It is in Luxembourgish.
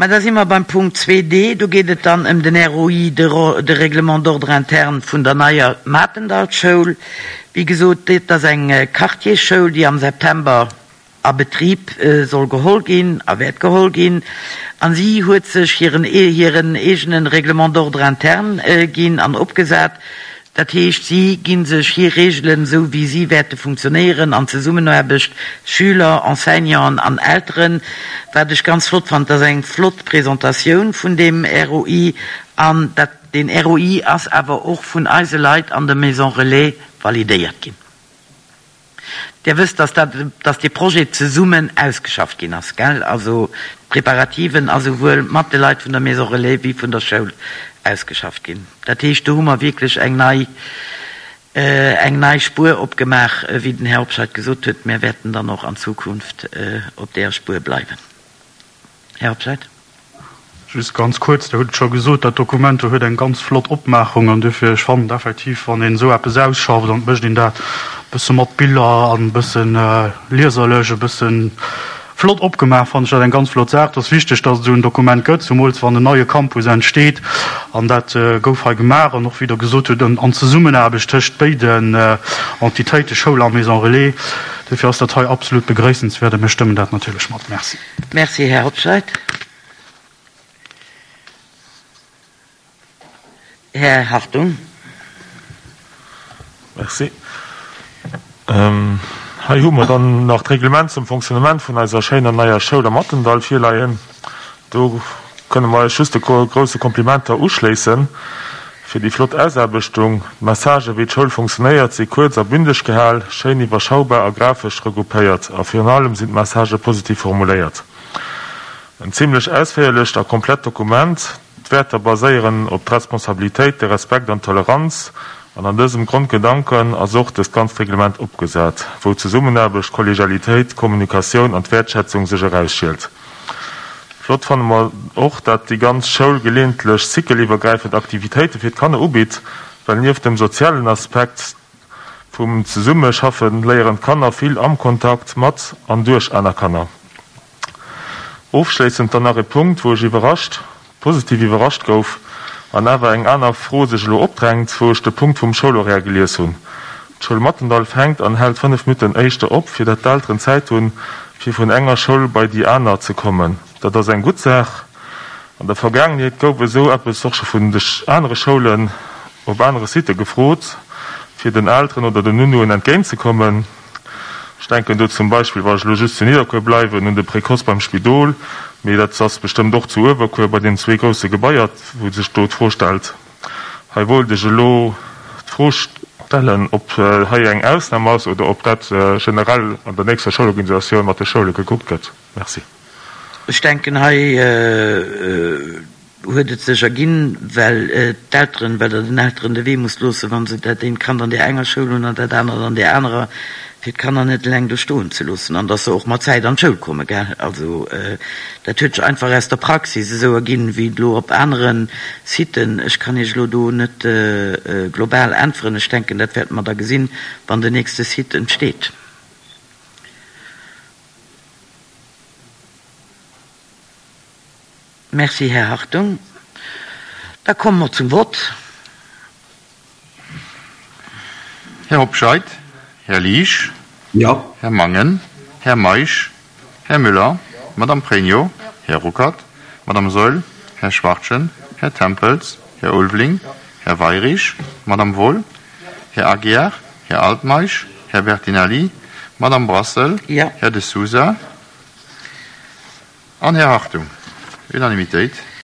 Mä da si mer beim Punkt 2d. Do geet et dann ëm den ROI, de Règlement d'ordre interne vun der neier Matendallschoul. Wéi gesot, dat ass eng Quartiersschoul, déi am September a Betrib soll geholl ginn a wäert geholl ginn. A si huet sech hiren hiren eegene Règlement d'ordre interne ginn an opgesat. Dat heescht, si gi sech hir Reegelen, esou wéi si wäerte funktionéieren an Zesummenaarbecht, Schüler, Enseignanten an Elteren. Wat ech ganz flott fannen, et ass eng flott Presentatioun vun deem ROI an dat, deen ROI ass awer och vun eise Leit an der Maison Relais validéiert ginn. Dir wësst, dass dat, dass dee Projet zesummen ausgeschafft ginn ass, gell? Also d'Preparativen a souwuel mat de Leit vun der Maison Relais wéi vun der Schoul ausgeschafft ginn. Dat heescht, do hu mer wierklech eng nei, eng nei Spuer opgemaach, wéi den Här Hobscheit gesot huet. Mir wäerten dann och an Zukunft op deeër Spuer bleiwen. Här Hobscheit. Just ganz kuerz, Der hutt et scho gesot, dat Dokument do huet eng ganz flott Opmaachung an duerfir, ech fannen et effektiv, wann een esou eppes ausschafft an et mécht een dat e bësse mat Biller an e bësse lieserlech, e bësse flott opgemaach, fannen ech dat eng ganz flott Saach. Et ass wichteg, dass et esou en Dokument gëtt, zumools wann en neie Campus entsteet an dat gouf hei gemaach an och, wéi Der gesot hutt, an Zesummenaarbecht tëscht béiden Entitéiten, Schoul a Maison Relais. Duerfir ass dat hei absolut begréissenswäert a mir stëmmen dat natierlech mat. Merci. Merci, Här Hobscheit. Här Hartung. Merci. Hei hu mer dann nach d'Reglement zum Fonctionnement vun eiser schéiner neier Schoul am Mattendall virleien. Do kënne mer eis just de grousse Komplimenter uschléissen fir déi flott Ausaarbechtung. D'Messagen, wéi d'Schoul funktionéiert, si kuerz a bündeg gehal, schéin iwwerschaubar a grafesch regroupéiert a virun allem sinn d'Messagë positiv formuléiert. En zimlech ausféierlecht a komplett Dokument. D'Wäerter baséieren op d'Responsabilitéit, de Respekt an d'Toleranz an an dësem Grondgedanken ass och dëst ganzt Reglement opgesat, wou Zesummenaarbecht, Kollegialitéit, Kommunikatioun an d'Wäertschätzung sech erausschielt. Flott fanne mer och, dat déi ganz Schoul geleeëntlech cycleliwwergräifend Aktivitéite fir d'Kanner ubitt, well nieft dem sozialen Aspekt vum Zesummeschaffe léieren d'Kanner vill am Kontakt mat an duerch aner Kanner. Ofschléissend dann nach e Punkt, wou ech iwwerrascht, positiv iwwerrascht gouf an awer eng aner Fro sech elo opdrängt, wou ech de Punkt vum Schoulhoraire gelies hunn. D'Schoul Mathendall fänkt an hält 5 Minutten éischter op, fir dat d'Elteren Zäit hunn, fir vun enger Schoul bei déi aner ze kommen. Dat ass eng gutt Saach. An der Vergaangenheet gouf esou eppes och scho vun de anere Schoulen op anere Sitte gefrot, fir den Elteren oder den Nounnoen entgéintzekommen. Ech denken do zum Beispill, wa ech elo just zu Nidderkuer bleiwen, un de Précoce beim Spidol, mee dat ass bestëmmt och zu Uewerkuer bei deenen zwee grousse Gebaier, wou sech do d'Fro stellt. Hei wollt ech elo d'Fro stellen, ob hei eng Ausnam ass oder ob dat generell an der nächster Schoulorganisatioun mat de Schoule gekuckt gëtt. Merci. Ech denken, hei huet et sech erginn, well d'Elteren, well Der den Elteren de Wee musst loossen, wa se dat eent Kand an där enger Schoul hunn an dat anert an där anerer, fir d'Kanner net eleng do stoen ze loossen an dass se och mat Zäit an d'Schoul kommen, gell. Also dat huet sech einfach aus der Praxis esou erginn, wéi et elo op anere Siten. Ech kann Iech elo do net global äntweren. Ech denken, dat wäerte mer da gesinn, wann den nächste Site entsteet. Merci, Här Hartung. Da komme mer zum Vott. Här Hobscheit, Här Liesch, Här Mangen, Här Meisch, Här Müller, Madame Pregno, Här Ruckert, Madame Saeul, Här Schwachtgen, Här Tempels, Här Ulveling, Här Weirich, Madame Wohl, Här Aguiar, Här Altmeisch, Här Bertinelli, Madame Brassel, Här De Sousa an Här Hartung. Unanimitéit.